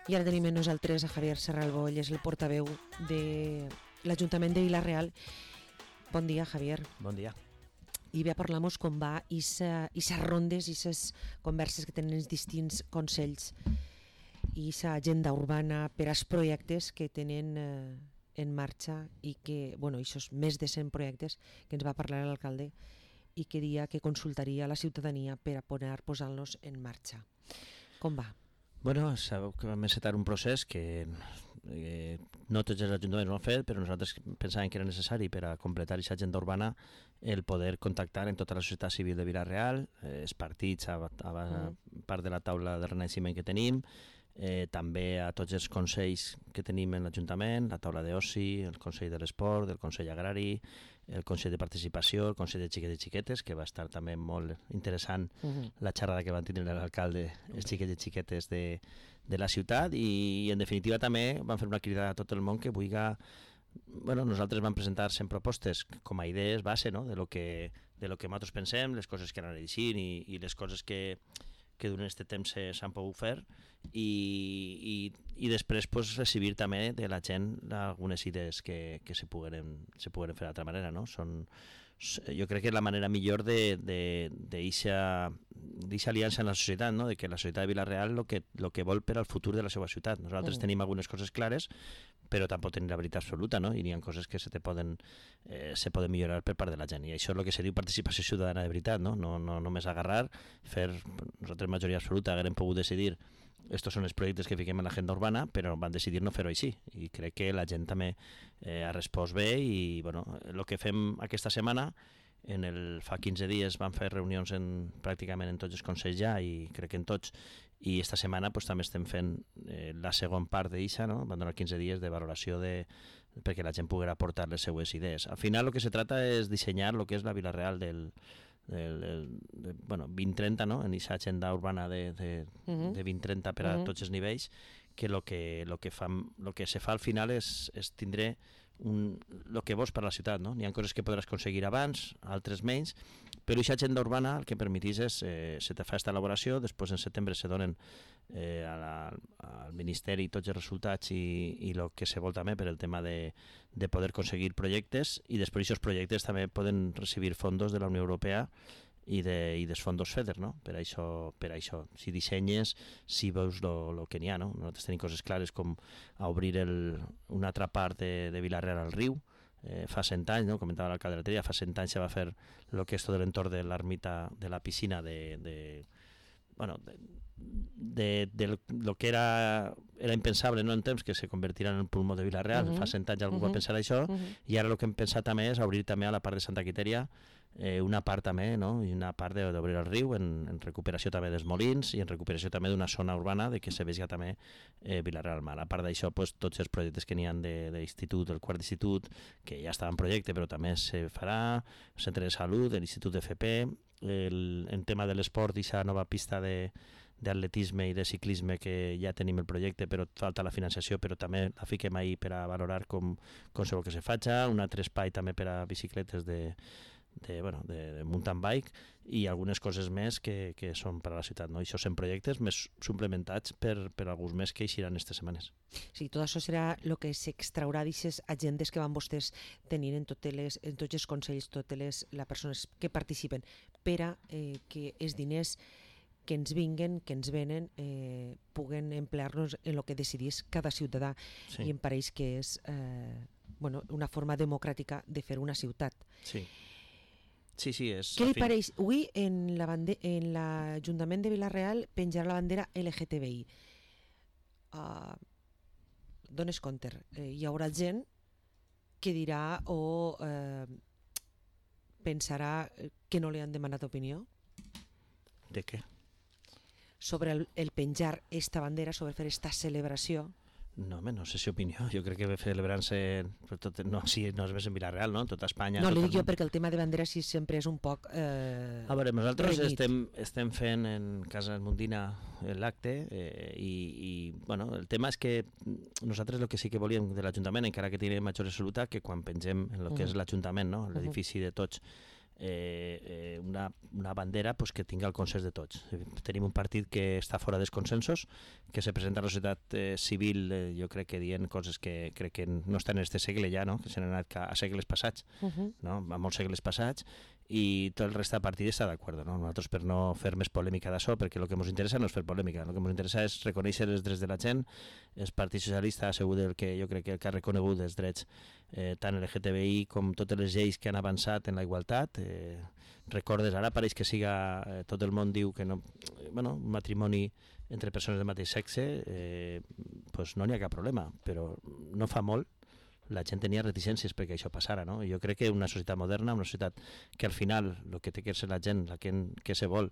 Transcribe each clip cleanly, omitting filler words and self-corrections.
I ara tenim amb nosaltres a Javier Serralbo, ell és el portaveu de l'Ajuntament de Vila-real. Bon dia, Javier. Bon dia. I bé, parlamos com va aquestes rondes, aquestes converses que tenen els distints consells i aquesta agenda urbana per als projectes que tenen en marxa i que, bueno, aquests més de 100 projectes que ens va parlar l'alcalde i que dia que consultaria a la ciutadania per a poder posar-los en marxa. Com va? Bueno, sabeu que vam encetar un procés que no tots els ajuntaments ho han fet, però nosaltres pensàvem que era necessari per a completar aquesta agenda urbana el poder contactar en tota la societat civil de Vila-real, els partits a part de la taula de renaixement que tenim, també a tots els consells que tenim en l'Ajuntament, la taula d'oci, el Consell de l'Esport, el Consell Agrari, el Consell de Participació, el Consell de Xiquets i Xiquetes, que va estar també molt interessant la xerrada que van tenir l'alcalde, els xiquets i xiquetes de la ciutat, i en definitiva també van fer una crida a tot el món que vulgui. Bueno, nosaltres vam presentar 100 propostes com a idees base, no?, de lo que nosaltres pensem, les coses que han anat així i les coses que durant aquest temps s'han pogut fer i després pues, recibir també de la gent algunes idees que se puguen fer d'altra manera, no? Jo crec que és la manera millor d'eixa aliança en la societat, no? De que la societat de Vila-real lo que vol per al futur de la seva ciutat. Nosaltres tenim algunes coses clares, però tampoc tenim la veritat absoluta, no? I n'hi ha coses que se poden millorar per part de la gent, i això és el que se diu participació ciutadana de veritat, no? No només agarrar, fer, nosaltres majoria absoluta haguem pogut decidir estos són els projectes que fiquem en l'agenda urbana, però van decidir no fer-ho així, i crec que la gent també ha respost bé, i bueno, el que fem aquesta setmana, fa 15 dies vam fer reunions pràcticament en tots els consells ja, i crec que en tots, i esta setmana pues, també estem fent la segona part d'eixa, no? Van donar 15 dies de valoració perquè la gent pugui aportar les seues idees. Al final el que se trata és dissenyar el que és la Vila-real del 2030, no? En aquesta agenda urbana de 2030 per a tots els nivells, que lo que se fa al final és tindre el que vols per a la ciutat, no? N'hi ha coses que podràs aconseguir abans, altres menys, però aquesta agenda urbana el que permetís és se te fa aquesta elaboració, després en setembre se donen al Ministeri tots els resultats i el que se vol també per el tema de poder aconseguir projectes, i després aquests projectes també poden recibir fondos de la Unió Europea i dels fondos FEDER, no? Per això, si dissenyes, si veus el que n'hi ha, no? Nosaltres tenim coses clares com a obrir una altra part de Vila-real al riu, fa 100 anys, no? Comentava l'alcalde l'altre dia, fa 100 anys se va fer el que és tot l'entorn de l'ermita, de la piscina de lo que era impensable, no, en temps que se convertirà en el pulmó de Vila-real. Fa 100 anys algú va pensar això, i ara el que hem pensat també és obrir també a la part de Santa Quitèria una part també, no? I una part d'obrir el riu en recuperació també dels molins i en recuperació també d'una zona urbana de que se vegi també Vila-real al mar. A part d'això, pues, tots els projectes que n'hi ha d'institut, el quart d'institut, que ja estava en projecte però també se farà, el centre de salut, l'Institut d'FP, en tema de l'esport, aquesta nova pista d'atletisme i de ciclisme que ja tenim el projecte, però falta la financiació, però també la fiquem ahí per a valorar com se vol que se faci, un altre espai també per a bicicletes de mountain bike, i algunes coses més que són per a la ciutat, no? Això són projectes més suplementats per alguns més que eixiran aquestes setmanes. Sí, tot això serà el que s'extraurà d'aquestes agendes que van vostès tenir en tots els consells, totes les persones que participen, per a que els diners que ens vinguen, que ens venen, puguen emplear-nos en el que decidís cada ciutadà, sí. I em pareix que és una forma democràtica de fer una ciutat. Sí. Sí, és... Què li pareix? Avui en l'Ajuntament de Vila-real penjarà la bandera LGTBI. Dones compte, hi haurà gent que dirà o pensarà que no li han demanat opinió? De què? Sobre el penjar esta bandera, sobre fer esta celebració. No sé si opinió, jo crec que celebrant-se no és en Vila-real, no? En tota Espanya. No, li dic jo perquè el tema de bandera sí sempre és un poc a veure, nosaltres estem fent en Casa Mundina l'acte i bueno, el tema és que nosaltres el que sí que volíem de l'Ajuntament, encara que tenim major absoluta, que quan pengem en el que és l'Ajuntament, no? L'edifici de tots, una bandera pues, que tinga el consens de tots. Tenim un partit que està fora dels consensos, que se presenta a la societat civil, jo crec que dient coses que crec que no estan en este segle ja, no? Que s'han anat a segles passats, no? A molts segles passats, i tot el resta de partit està d'acord, no? Nosaltres per no fer més polèmica d'això, perquè el que ens interessa no és fer polèmica, el que ens interessa és reconèixer els drets de la gent. El Partit Socialista ha sigut el que jo crec que ha reconegut els drets tant LGTBI com totes les lleis que han avançat en la igualtat. Recordes, ara pareix que siga, tot el món diu que no, bueno, un matrimoni entre persones del mateix sexe, pues no n'hi ha cap problema, però no fa molt la gent tenia reticències perquè això passara, no? I jo crec que una societat moderna, una societat que al final el que té que ser la gent, la que se vol,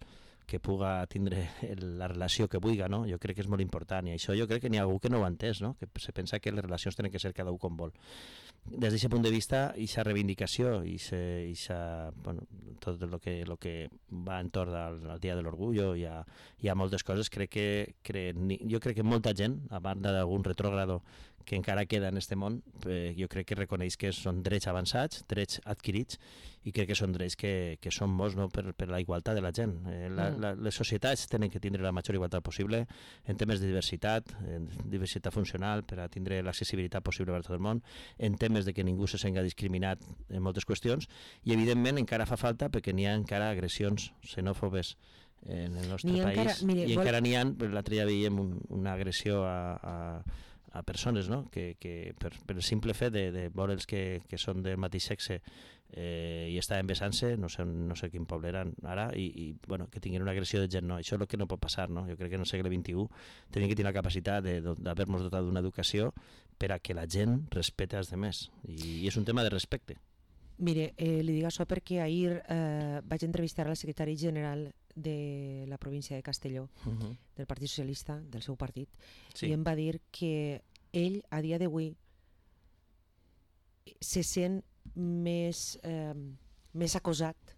que puga tindre la relació que vulgui, no? Jo crec que és molt important, i això jo crec que n'hi ha algú que no ho ha entès, no? Que se pensa que les relacions tenen que ser cada un com vol. Des d'aquest punt de vista, aquesta reivindicació i bueno, tot el que va entorn al Dia de l'Orgullo, hi ha moltes coses, jo crec que molta gent, a banda d'algun retrògrado que encara queda en este món, jo crec que reconeix que són drets avançats, drets adquirits, i crec que són drets que són bons, no? per la igualtat de la gent. Les societats tenen que tindre la major igualtat possible en temes de diversitat funcional, per a tindre l'accessibilitat possible per a tot el món, en temes de que ningú se senga discriminat en moltes qüestions, i evidentment encara fa falta perquè n'hi ha encara agressions xenòfobes en el nostre país, i encara n'hi ha, l'altre dia veiem una agressió a persones, no? que per el simple fet de veure'ls que són del mateix sexe i estaven besant-se, no sé quin poble eren ara, i bueno, que tinguin una agressió de gent, no, això és el que no pot passar, no? Jo crec que en el segle XXI tenim que tenir la capacitat d'haver-nos dotat d'una educació per a que la gent respecte als demés, i és un tema de respecte. Mire, li dic això perquè ahir vaig entrevistar al secretari general de la província de Castelló, del Partit Socialista, del seu partit, sí. I em va dir que ell, a dia d'avui, se sent més acosat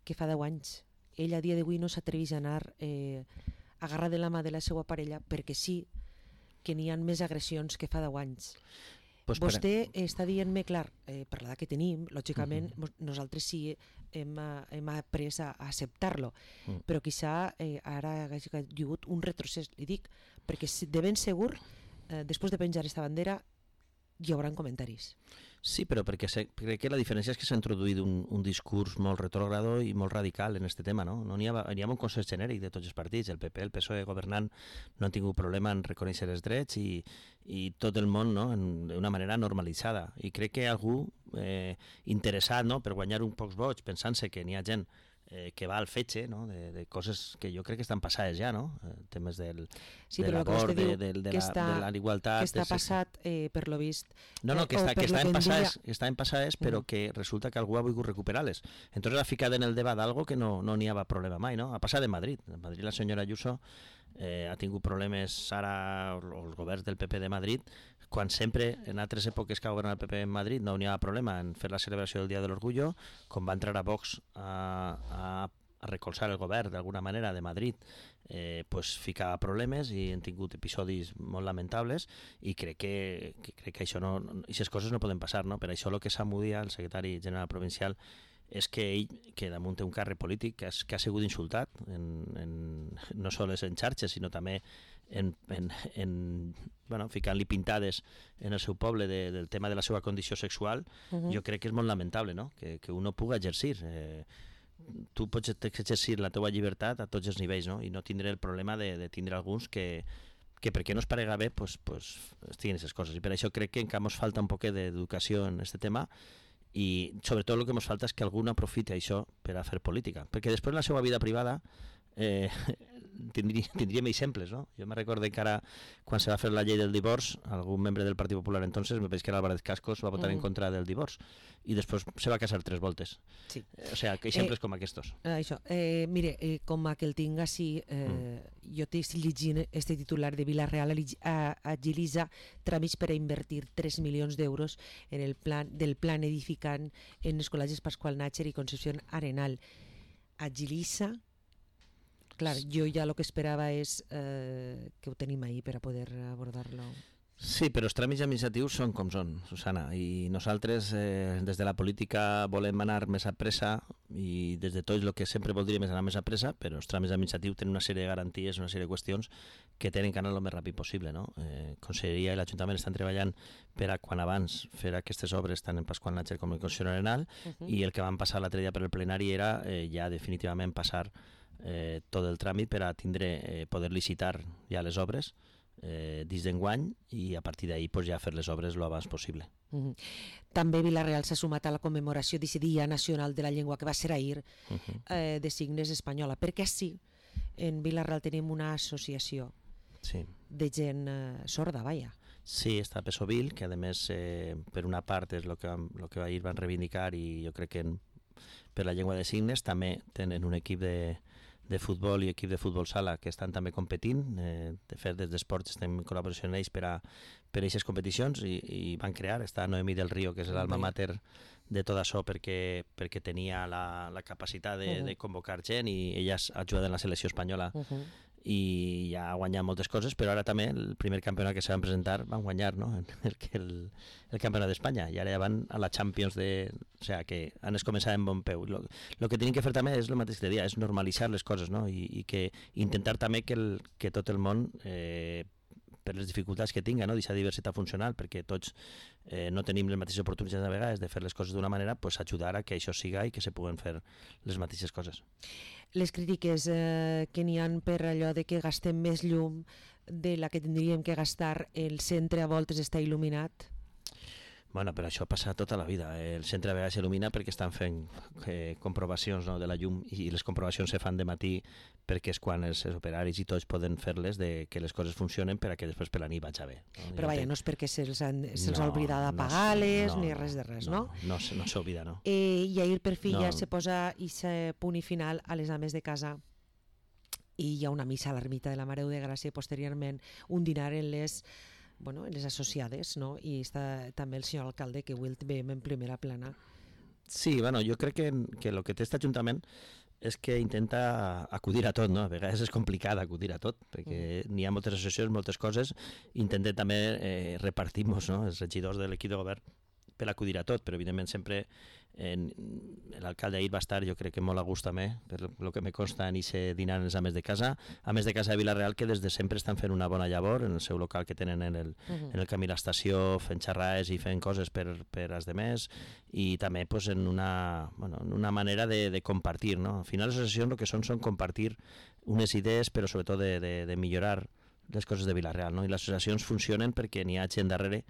que fa 10 anys. Ell, a dia d'avui, no s'atreveix a anar agarrar de la mà de la seva parella perquè sí que n'hi ha més agressions que fa 10 anys. Pues vostè està dient-me, clar, per l'edat que tenim, lògicament, nosaltres sí hem après a acceptar-lo, però quizà ara hagi hagut un retrocés, li dic, perquè de ben segur, després de penjar aquesta bandera, hi haurà comentaris. Sí, però perquè crec que la diferència és que s'ha introduït un discurs molt retrògrado i molt radical en aquest tema, no? N'hi ha un consens genèric de tots els partits, el PP, el PSOE governant no han tingut problema en reconèixer els drets i tot el món, no? D'una manera normalitzada. I crec que algú interessat, no? Per guanyar un pocs vots, pensant-se que n'hi ha gent que va al fetge, no? De coses que jo crec que estan passades ja, no? Temes de l'abort, de l'igualtat... Que està passat, per lo vist... No, que estaven passades, però que resulta que algú ha volgut recuperar-les. Entonces ha ficat en el debat algo que no n'hi havia problema mai, no? Ha passat en Madrid. En Madrid la senyora Ayuso ha tingut problemes ara, els governs del PP de Madrid, quan sempre, en altres èpoques que ha governat el PP en Madrid, no n'hi ha problema en fer la celebració del Dia de l'Orgullo, com va entrar a Vox a recolzar el govern d'alguna manera de Madrid, pues ficava problemes i han tingut episodis molt lamentables, i crec que això no, aquestes coses no poden passar, no? Per això el que Samudia, el secretari general provincial, és que ell, que damunt té un càrrec polític que ha sigut insultat no sols en xarxes, sinó també ficant-li pintades en el seu poble del tema de la seva condició sexual, jo crec que és molt lamentable, no? Que un no pugui exercir. Tu pots exercir la teva llibertat a tots els nivells, no? I no tindre el problema de tindre alguns que perquè no es parega bé estiguin aquestes coses. I per això crec que encara ens falta un poc d'educació en aquest tema, i sobretot el que ens falta és que algú aprofiti això per a fer política, perquè després en la seva vida privada tindríem exemples, no? Jo me recordo encara quan se va fer la llei del divorç, algun membre del Partit Popular entonces, me penso que era Álvarez Cascos, va votar en contra del divorç i després se va casar 3 voltes. Sí. O sigui, exemples com aquests. Això. Mire, com a que el tinc així, jo estic llegint este titular de Vila-real agilitza tràmits per a invertir 3 milions d'euros en el del plan edificant en els col·legis Pasqual Natxer i Concepción Arenal. Agilitza. Clar, jo ja el que esperava és que ho tenim ahir per a poder abordar-lo. Sí, però els tràmits administratius són com són, Susana, i nosaltres des de la política volem anar més a pressa i des de tots el que sempre voldríem és anar més a pressa, però els tràmits administratius tenen una sèrie de garanties, una sèrie de qüestions que tenen que anar el més ràpid possible. No? Conselleria i l'Ajuntament estan treballant per a quan abans fer aquestes obres tant en Pasqual Nácher com en Concessió Arenal i el que van passar l'altre dia per el plenari era ja definitivament passar tot el tràmit per a tindre, poder licitar ja les obres dins d'enguany i a partir d'ahir pues, ja fer les obres el abans possible. També Vila-real s'ha sumat a la commemoració d'aquest Dia Nacional de la Llengua que va ser ahir de signes espanyola, perquè sí, en Vila-real tenim una associació de gent sorda, vaja. Sí, està Pesovil, que a més per una part és el que ahir van reivindicar i jo crec que per la llengua de signes també tenen un equip de futbol i equip de futbol sala que estan també competint. De fet, des d'Esports estem en col·laboració amb ells per a aquestes competicions i van crear, està Noemí del Río, que és l'alma mater de tot això perquè tenia la capacitat de convocar gent i ella ajuda en la selecció espanyola i ja ha guanyat moltes coses, però ara també el primer campionat que se van presentar van guanyar, no? el campionat d'Espanya i ara ja van a la Champions o sea, que han començat en bon peu. Lo que tenen que fer també és el mateix que deia, és normalitzar les coses, no? I que intentar també que tot el món per les dificultats que tinga, no? D'aquesta diversitat funcional, perquè tots no tenim les mateixes oportunitats a vegades de fer les coses d'una manera, pues ajudar a que això siga i que se puguen fer les mateixes coses. Les crítiques que n'hi han per allò de que gastem més llum de la que tindríem que gastar, el centre a voltes està il·luminat? Bueno, però això passa tota la vida. El centre a vegades s'il·lumina perquè estan fent comprovacions, no, de la llum i les comprovacions se fan de matí perquè és quan els operaris i tots poden fer-les de que les coses funcionen per a que després per la nit vagi bé. No? Però vaja, no és perquè se'ls ha oblidat d'apagar-les ni res de res, no? No s'oblida, no. I ahir per fi ja se posa aquest punt i final a les ames de casa i hi ha una missa a l'ermita de la Mare de Gràcia i posteriorment un dinar en les associades, no? I està també el senyor alcalde, que avui el veiem en primera plana. Sí, bueno, jo crec que el que té aquest Ajuntament és que intenta acudir a tot, no? A vegades és complicat acudir a tot, perquè n'hi ha moltes associacions, moltes coses, intentem també repartir-nos, no? Els regidors de l'equip de govern per acudir a tot, però evidentment sempre l'alcalde ahir va estar, jo crec que molt a gust també, per el que me consta en aquest dinar en les ames de casa de Vila-real, que des de sempre estan fent una bona llavor en el seu local que tenen en el camí a l'estació, fent xerrades i fent coses per als demés, i també pues, en una manera de compartir, no? Al final les associacions el que són compartir unes idees, però sobretot de millorar les coses de Vila-real, no? I les associacions funcionen perquè n'hi ha gent darrere,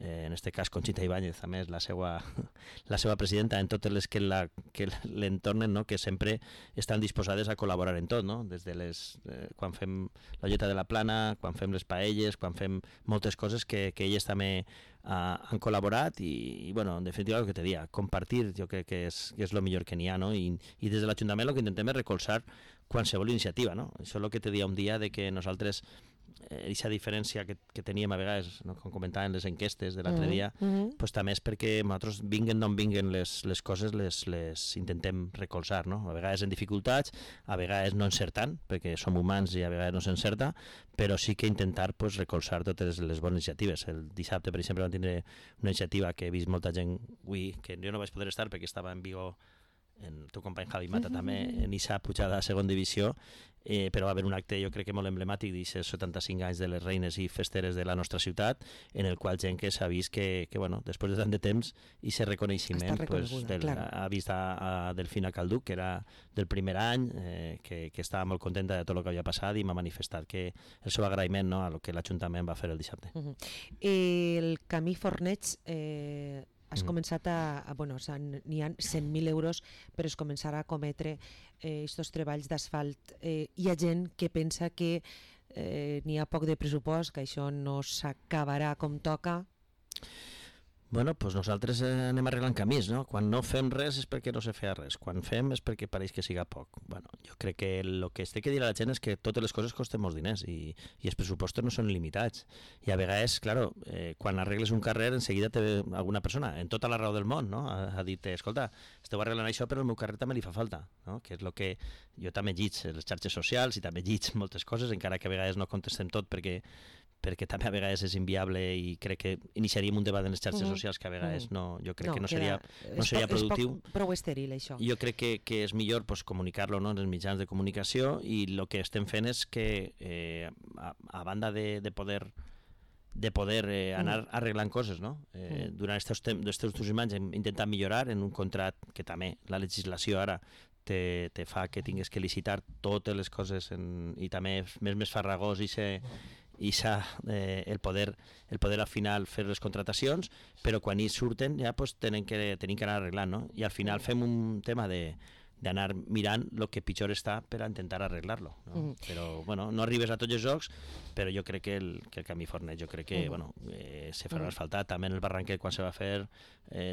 en aquest cas Conxita Ibáñez, a més la seva presidenta, en totes les que l'entornen, no? Que sempre estan disposades a col·laborar en tot, no? Des de quan fem la llota de la plana, quan fem les paelles, quan fem moltes coses que elles també han col·laborat i bueno, en definitiva el que te dia, compartir jo crec que és el millor que n'hi ha, no? I des de l'Ajuntament el que intentem és recolzar qualsevol iniciativa, no? Això és el que te dia un dia de que nosaltres aquesta diferència que teníem a vegades, no? Com comentaven les enquestes de l'altre dia, pues també és perquè nosaltres vinguen d'on vinguen les coses les intentem recolzar, no? A vegades en dificultats, a vegades no encertant, perquè som humans i a vegades no s'encerta, però sí que intentar pues, recolzar totes les bones iniciatives. El dissabte, per exemple, vam tindre una iniciativa que he vist molta gent avui, que jo no vaig poder estar perquè estava en Vigo, el teu company Javi Mata també, en aquesta pujada a segona divisió, però va haver un acte jo crec que molt emblemàtic d'aquests 75 anys de les reines i festeres de la nostra ciutat, en el qual gent que s'ha vist que bueno, després de tant de temps i aquest reconeixement ha vist a Delfina Calduc, que era del primer any, que estava molt contenta de tot el que havia passat i m'ha manifestat que el seu agraïment, no, a lo que l'Ajuntament va fer el dissabte. El camí Forneig has començat n'hi ha 100.000 euros per es començar a cometre aquests treballs d'asfalt. Hi ha gent que pensa que n'hi ha poc de pressupost, que això no s'acabarà com toca. Bueno, doncs nosaltres anem arreglant camins, no? Quan no fem res és perquè no se feia res, quan fem és perquè pareix que siga poc. Bueno, jo crec que el que es té que dir a la gent és que totes les coses costen molts diners i els pressupostos no són limitats. I a vegades, clar, quan arregles un carrer, en seguida té alguna persona, en tota la raó del món, no? Ha dit, escolta, esteu arreglant això però el meu carrer també li fa falta, no? Que és el que jo també lliig les xarxes socials i també lliig moltes coses, encara que a vegades no contestem tot perquè perquè també a vegades és inviable i crec que iniciaríem un debat en les xarxes socials que a vegades jo crec que no seria productiu. És prou estèril, això. Jo crec que és millor comunicar-lo en els mitjans de comunicació i el que estem fent és que a banda de poder anar arreglant coses, no? Durant aquests últims anys hem intentat millorar en un contracte que també la legislació ara te fa que tingues que licitar totes les coses i també és més farragós el poder al final fer les contratacions, però quan hi surten ja tenim que anar arreglant, no? I al final fem un tema d'anar mirant el que pitjor està per a intentar arreglar-lo, no? Però bueno, no arribes a tots els jocs, però jo crec que el camí Fornet, jo crec que se farà asfaltat, també en el Barranquet quan se va fer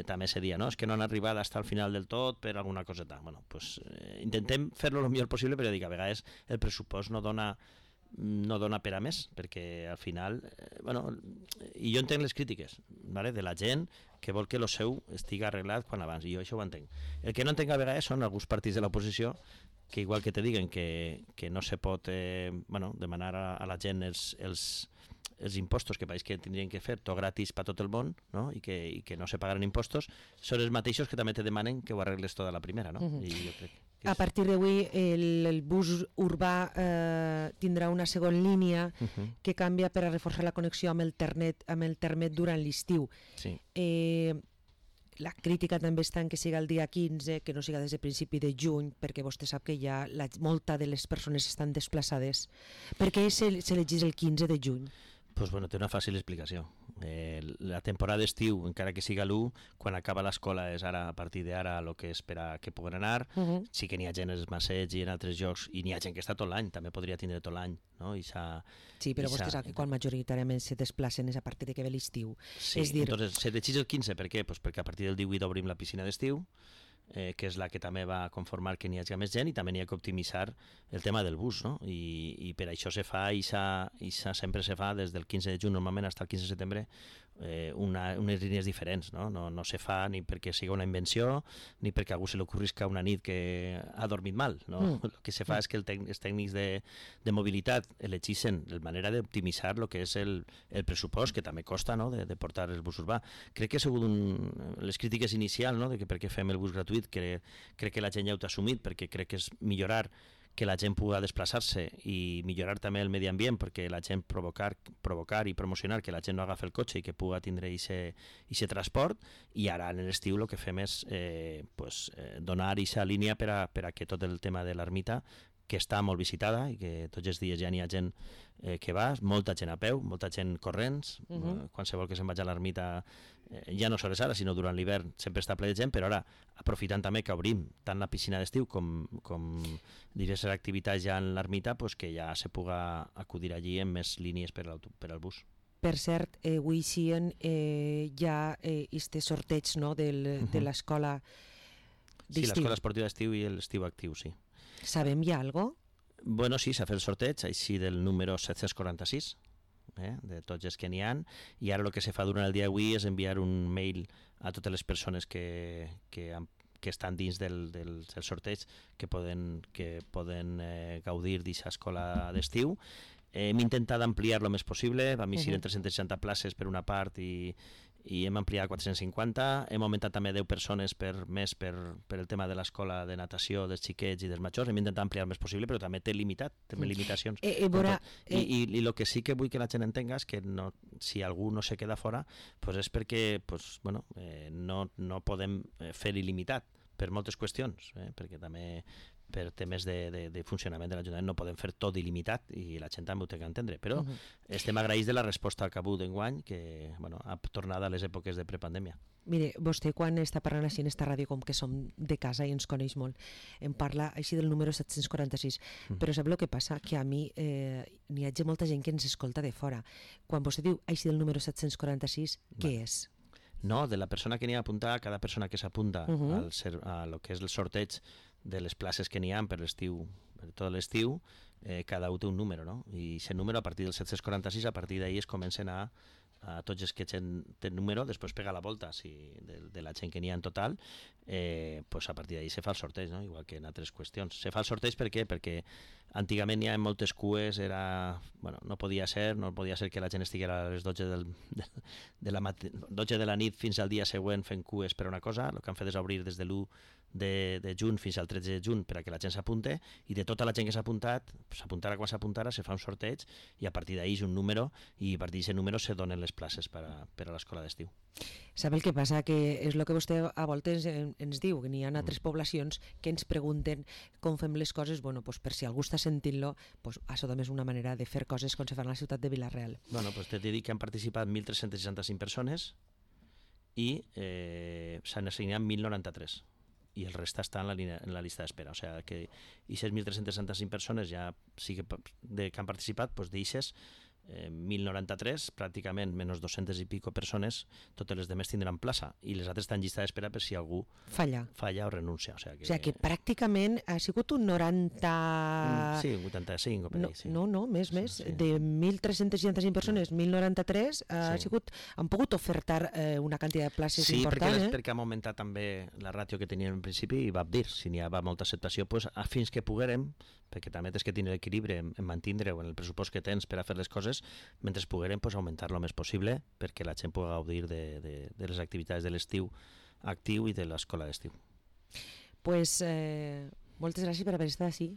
també se dia, no? És que no han arribat fins al final del tot per alguna coseta. Bueno, pues intentem fer-lo el millor possible, però dic, a vegades el pressupost no dona per a més, perquè al final i jo entenc les crítiques, ¿vale? De la gent que vol que el seu estigui arreglat quan abans, i jo això ho entenc. El que no entenc a vegades són alguns partits de l'oposició que igual que te diguen que no se pot demanar a la gent els impostos que pareix que tindrien que fer tot gratis per tot el món, no? I que no se pagaran impostos, són els mateixos que també te demanen que ho arregles tot a la primera, no? I jo crec que a partir d'avui el bus urbà tindrà una segona línia que canvia per a reforçar la connexió amb el Termet durant l'estiu. Sí. La crítica també està en que siga el dia 15, que no siga des de principi de juny, perquè vostè sap que ja molta de les persones estan desplaçades. Per què s'elegís el 15 de juny? Pues bueno, té una fàcil explicació. La temporada d'estiu, encara que siga l'1, quan acaba l'escola és ara, a partir d'ara el que és per a que puguen anar. Sí que n'hi ha gent als Massets i en altres llocs, i n'hi ha gent que està tot l'any, també podria tindre tot l'any, no? Sí, però vostè sap que quan majoritàriament se desplacen és a partir de que ve l'estiu. Sí, entonces se decideix el 15, per què? Pues perquè a partir del 18 obrim la piscina d'estiu, que és la que també va conformar que n'hi hagi més gent, i també n'hi ha que optimitzar el tema del bus, no? I per això se fa, i sempre se fa des del 15 de juny normalment fins al 15 de setembre, unes línies diferents, no? No se fa ni perquè sigui una invenció ni perquè a algú se li ocorrisca una nit que ha dormit mal, no? El que se fa és que els tècnics de mobilitat elegeixen la manera d'optimitzar el que és el pressupost, que també costa, no? de portar el bus urbà. Crec que ha sigut les crítiques inicials, no? De que per què fem el bus gratuït, crec que la gent ja ho ha assumit, perquè crec que és millorar que la gent pugui desplaçar-se i millorar també el medi ambient, perquè la gent provocar i promocionar que la gent no agafi el cotxe i que pugui tindre aquest transport. I ara en l'estiu el que fem és donar aquesta línia per a que tot el tema de l'ermita, que està molt visitada i que tots els dies ja n'hi ha gent que va, molta gent a peu, molta gent corrents, qualsevol que se'n vagi a l'ermita, ja no sols ara, sinó durant l'hivern sempre està ple de gent, però ara aprofitant també que obrim tant la piscina d'estiu com diverses activitats ja en l'ermita, que ja se puga acudir allí amb més línies per al bus. Per cert, avui sí hi ha este sorteig, no, de l'escola d'estiu. Sí, l'escola esportiva d'estiu i l'estiu actiu, sí. Sabem ja alguna cosa? Bueno, sí, s'ha fet el sorteig, així del número 746, de tots els que n'hi ha, i ara el que se fa durant el dia d'avui és enviar un mail a totes les persones que estan dins del sorteig, que poden gaudir d'aquesta escola d'estiu. Hem intentat ampliar el més possible, vam eixir en 360 places per una part i hem ampliat a 450, hem augmentat també 10 persones per el tema de l'escola de natació dels xiquets i dels majors, hem intentat ampliar el més possible, però també té limitacions. I el que sí que vull que la gent entenga és que si algú no se queda fora és perquè no podem fer il·limitat per moltes qüestions, perquè també per temes de funcionament de l'Ajuntament no podem fer tot il·limitat i la gent també ho té que entendre, però estem agraïts de la resposta al Cabú d'enguany, que ha tornat a les èpoques de prepandèmia. Mire, vostè quan està parlant així en esta ràdio, com que som de casa i ens coneix molt, em parla així del número 746, però sap el que passa? Que a mi n'hi ha molta gent que ens escolta de fora. Quan vostè diu així del número 746, què és? No, de la persona que n'hi ha apuntat, cada persona que s'apunta a lo que és el sorteig de les places que n'hi ha per l'estiu, per tot l'estiu, cada un té un número, no? I aquest número, a partir del 746, a partir d'ahir es comencen a a tots els que gent té número, després pega la volta de la gent que n'hi ha en total, pues a partir d'ahí se fa el sorteig, no? Igual que en altres qüestions. Se fa el sorteig per què? Perquè antigament n'hi ha moltes cues, no podia ser que la gent estiguera a les 12 12 de la nit fins al dia següent fent cues per una cosa. El que han fet és obrir des de l'1 de juny fins al 13 de juny per a que la gent s'apunte, i de tota la gent que s'ha apuntat, s'apuntara quan s'apuntara, se fa un sorteig i a partir d'ahí és un número, i a partir d'aquest número se donen les places per a l'escola d'estiu. Sap el que passa? Que és el que vostè a voltes ens diu, que n'hi ha altres poblacions que ens pregunten com fem les coses. Bueno, pues per si algú està sentint-lo, pues això també és una manera de fer coses com se fan a la ciutat de Vila-real. Bueno, pues t'he de dir que han participat 1.365 persones i s'han assignat 1.093. I el resta està en la llista d'espera. O sigui que aquestes 1.365 persones ja sí que han participat, doncs d'eixes 1.093, pràcticament menys 200 i pico persones, totes les demés tindran plaça, i les altres estan en llista d'espera per si algú falla o renuncia. O sigui que pràcticament ha sigut un 90... Sí, 85 o per ahí. No, més. Sí. De 1.365 persones, 1.093 han pogut ofertar una quantitat de places important. Sí, perquè hem augmentat també la ràtio que teníem en principi, i vam dir, si n'hi va molta acceptació, fins que poguérem, perquè també tens que tenir l'equilibri en mantindre en el pressupost que tens per a fer les coses, mentre poguérem augmentar-lo el més possible perquè la gent pugui gaudir de les activitats de l'estiu actiu i de l'escola d'estiu. Pues moltes gràcies per haver estat així,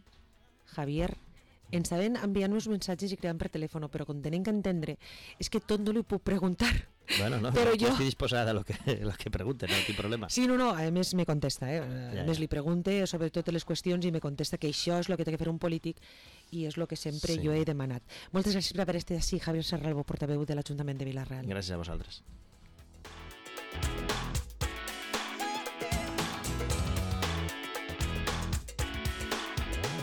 Javier. Ens saben enviant uns missatges i cridant per telèfon, però com tenen que entendre és que tot no li puc preguntar. Bueno, no, però jo estic disposada a lo que pregunten, no tinc problema. Sí, no, a més me contesta, a més li pregunte sobre totes les qüestions i me contesta que això és el que té que fer un polític i és el que sempre jo he demanat. Moltes gràcies per haver estat així, Javier Serralvo, portaveu de l'Ajuntament de Vila-real. Gràcies a vosaltres.